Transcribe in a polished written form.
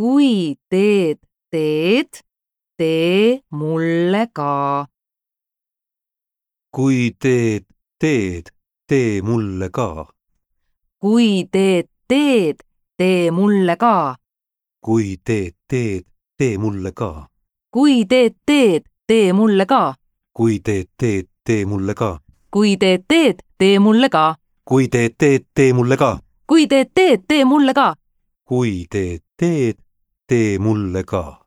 kui teed, tee mulle ka. kui teed, tee mulle ka. kui teed, tee mulle ka. kui teed, tee mulle ka. kui teed, tee mulle ka. kui teed, tee mulle ka. kui teed, tee mulle ka. kui teed, tee mulle ka. kui teed, tee mulle ka. kui teed, tee mulle ka.